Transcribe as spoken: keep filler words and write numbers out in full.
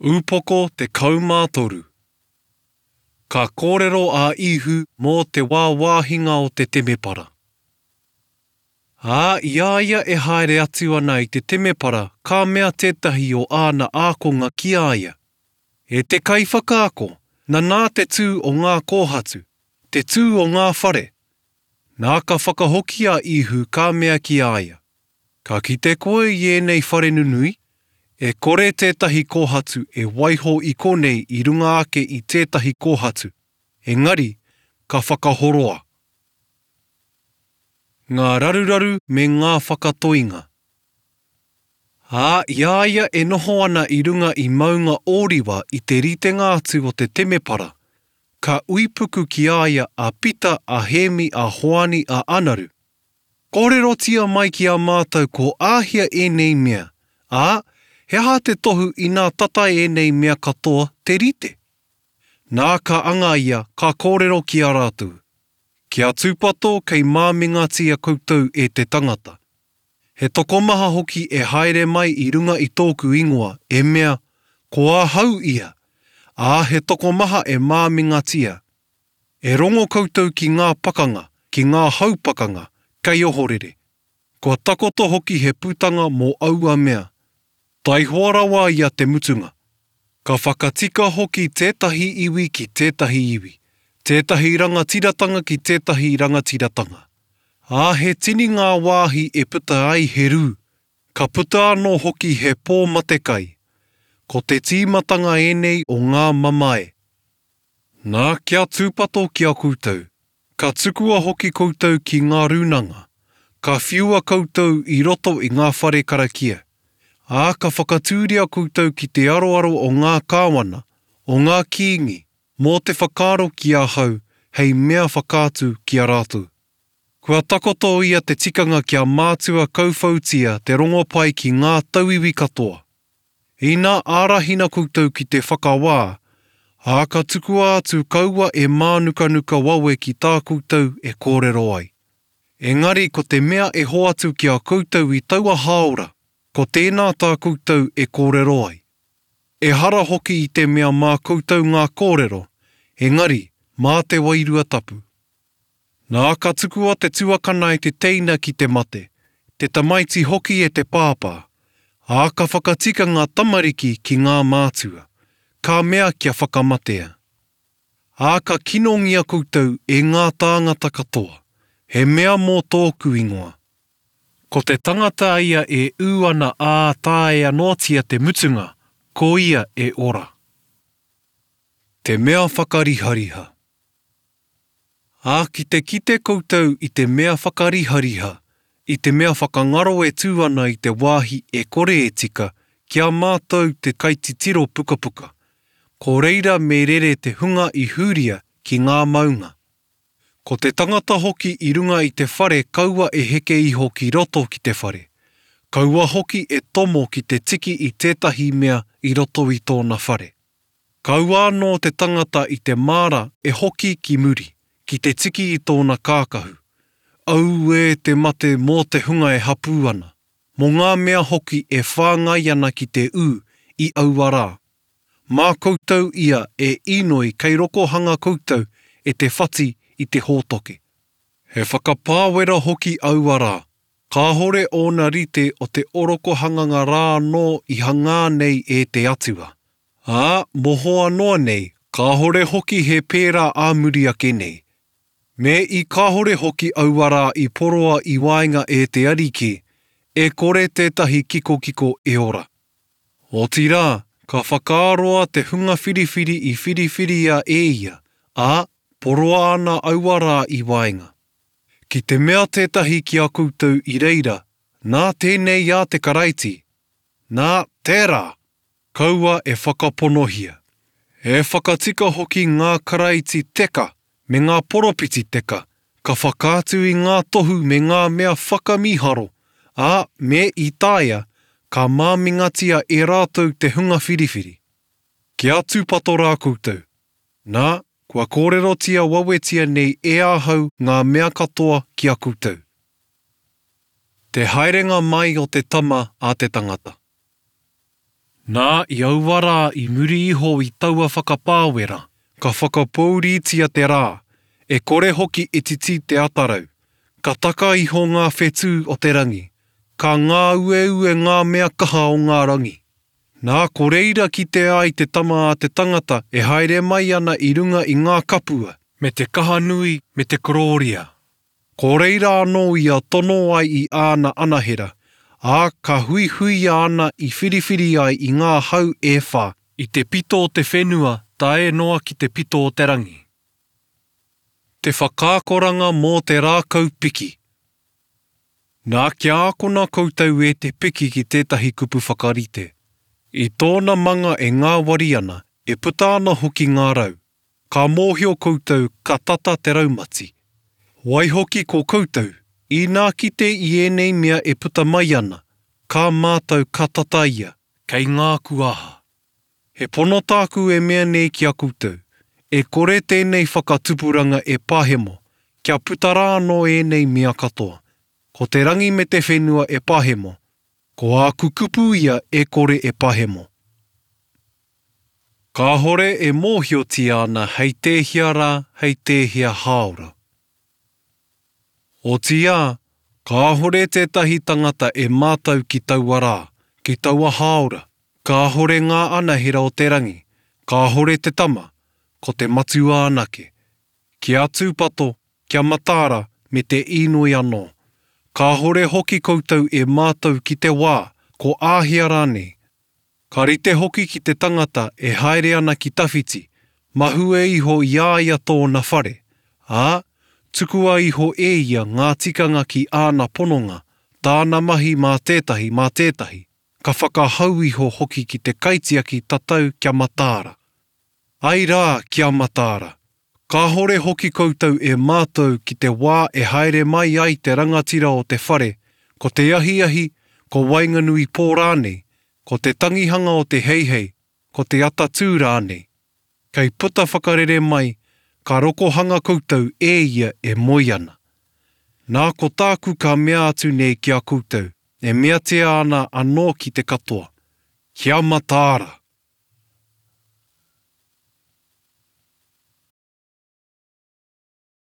Upoko tekau mā toru. Ka kōrero a Īhu mō te wāwāhinga o te temepara. Ā, i a ia e haere atu ana i te temepara, ka mea tētahi o āna ākonga ki a ia, E te Kaiwhakaako, nanā te tū o ngā kōhatu, te tū o ngā whare. Nā ka whakahoki a Īhu ka mea ki a ia, Ka kite koe i ēnei whare nunui? E kore tētahi kōhatu e waiho i konei i runga ake i tētahi kōhatu, engari ka whakahoroa. Ngā raruraru me ngā whakatoinga. Ā, i a ia e noho ana i runga i Maunga Ōriwa i te ritenga atu o te temepara, ka uipuku ki a ia a Pita, a Hēmi, a Hoani, a Anaru, Kōrerotia mai ki a mātou ko āhea ēnei mea, ā, he aha te tohu inā tata ēnei mea katoa te rite? Nā ka anga ia, ka kōrero ki a rātou, Kia tūpato kei māmingatia koutou e te tangata. He tokomaha hoki e haere mai i runga i tōku ingoa, e mea, Ko ahau ia, ā, he tokomaha e māmingatia. E rongo koutou ki ngā pakanga, ki ngā hau pakanga, kei ohorere. Kua takoto hoki he putanga mō aua mea. Taihoa rawa ia te mutunga. Ka whakatika hoki tētahi iwi ki tētahi iwi, tētahi rangatiratanga ki tētahi rangatiratanga. Ā, he tini ngā wāhi e puta ai he rū, ka puta anō hoki he pō matekai. Ko te tīmatanga ēnei o ngā mamae. Nā, kia tūpato ki a koutou, ka tukua hoki koutou ki ngā rūnanga, ka whiua koutou i roto i ngā whare karakia, ā, ka whakatūria koutou ki te aroaro o ngā kāwana, o ngā kīngi, mō te whakaaro ki ahau hei mea whakaatu ki a rātou. Kua takoto ia te tikanga kia mātua kauwhautia te rongopai ki ngā tauiwi katoa. Ina ārahina koutou ki te whakawā, ā, ka tukua atu kaua e mānukanuka wawe ki tā koutou e kōrero ai. Engari ko te mea e hoatu ki a koutou i taua hāora, ko tēnā tā koutou e kōrero ai. Ehara hoki i te mea mā koutou ngā kōrero, engari mā te Wairua Tapu. Nā, ka tukua te tuakana e te teina ki te mate, te tamaiti hoki e te pāpā, ā, ka whakatika ngā tamariki ki ngā mātua, ka mea kia whakamatea. Ā, ka kinongia koutou e ngā tāngata katoa, he mea mō tōku ingoa. Ko te tangata ia e ū ana ā taea noatia te mutunga, ko ia e ora. Te mea whakarihariha. Ā, ki te kite koutou i te mea whakarihariha, i te mea whakangaro e tū ana i te wāhi e kore e tika, ki a mātou te kaititiro pukapuka, ko reira me rere te hunga i Hūria ki ngā maunga. Ko te tangata hoki i runga i te whare kaua e heke iho ki roto ki te whare, kaua hoki e tomo ki te tiki i tētahi mea i roto i tōna whare. Kaua anō te tangata i te māra e hoki ki muri, ki te tiki i tōna kākahu. Auē te mate mō te hunga e hapū ana, mō ngā mea hoki e whāngai ana ki te ū i aua rā. Mā koutou ia e inoi kei rokohanga koutou e te whati i te hōtoke. He whakapāwera hoki aua rā, kāhore ōna rite o te orokohanganga rā anō i hangā nei e te Atua. Ā, mohoa noa nei, kāhore hoki he pērā ā muri ake nei. Me i kāhore hoki aua rā i poroa i waenga e te Ariki, e kore tētahi kikokiko e ora. Otirā, ka whakaaroa te hunga whiriwhiri i whiriwhiria e ia, ā, poroa ana aua rā i waenga. Ki te mea tētahi ki a koutou i reira, Nā tēnei a te Karaiti, nā, tērā! Kaua e whakaponohia. E whakatika hoki ngā karaiti teka me ngā poropiti teka, ka whakaatu i ngā tohu me ngā mea whakamīharo, ā, me i taea, ka māmingatia e rātou te hunga whiriwhiri. Kia tūpato rā koutou. Nā, kua kōrerotia wawetia nei e ahau ngā mea katoa ki a koutou. Te haerenga mai o te Tama a te tangata. Nā, i aua rā i muri iho i taua whakapāwera, ka whakapōuritia te rā, e kore hoki e titi te atarau, ka taka iho ngā whetū o te rangi, ka ngāueue ngā mea kaha o ngā rangi. Nā, ko reira kite ai te tama a te tangata e haere mai ana i runga i ngā kapua, me te kaha nui, me te korōria. Ko reira anō ia tono ai i āna anahera, ā, ka huihuia ana i whiriwhiri ai i ngā hau e whā, i te pito o te whenua tae noa ki te pito o te rangi. Te whakaakoranga mō te rākau piki. Nā, kia ākona koutou e te piki ki tētahi kupu whakarite. I tōna manga e ngāwari ana, e puta ana hoki ngā rau. Ka mōhio koutou ka tata te raumati. Waihoki ko koutou, inā kite i ēnei mea e puta mai ana, ka mātau ka tata ia, kei ngā kuaha. He pono tāku e mea nei ki a koutou, e kore tēnei whakatupuranga e pahemo, kia puta rā anō ēnei mea katoa. Ko te rangi me te whenua e pahemo, ko āku kupu ia e kore e pahemo. Kāhore e mōhiotia ana hei tēhea rā, hei tēhea hāora. Otiia, kāhore tētahi tangata e mātau ki taua rā, ki taua hāora, kāhore ngā anahera o te rangi, kāhore te tama, ko te matua anake. Kia tūpato, kia mataara, me te īnoi anō. Kāhore hoki koutou e mātau ki te wā, ko āhea rānei. Ka rite hoki ki te tangata e haere ana ki tawhiti, mahue iho i a ia tōna whare, ā, tukua iho e ia ngā tikanga ki āna pononga, tāna mahi mā tētahi mā tētahi, ka whakahau iho hoki ki te kaitiaki tatau kia mataara. Ai rā, kia mataara. Kāhore hoki koutou e mātau ki te wā e haere mai ai te rangatira o te whare, ko te ahiahi, ko waenganui pō rānei, ko te tangihanga o te heihei, ko te atatū rānei. Kei puta whakarere mai, ka rokohanga koutou e ia e moe ana. Nā ko tāku ka mea atu nei ki a koutou, e meatia ana anō ki te katoa. Kia mataara!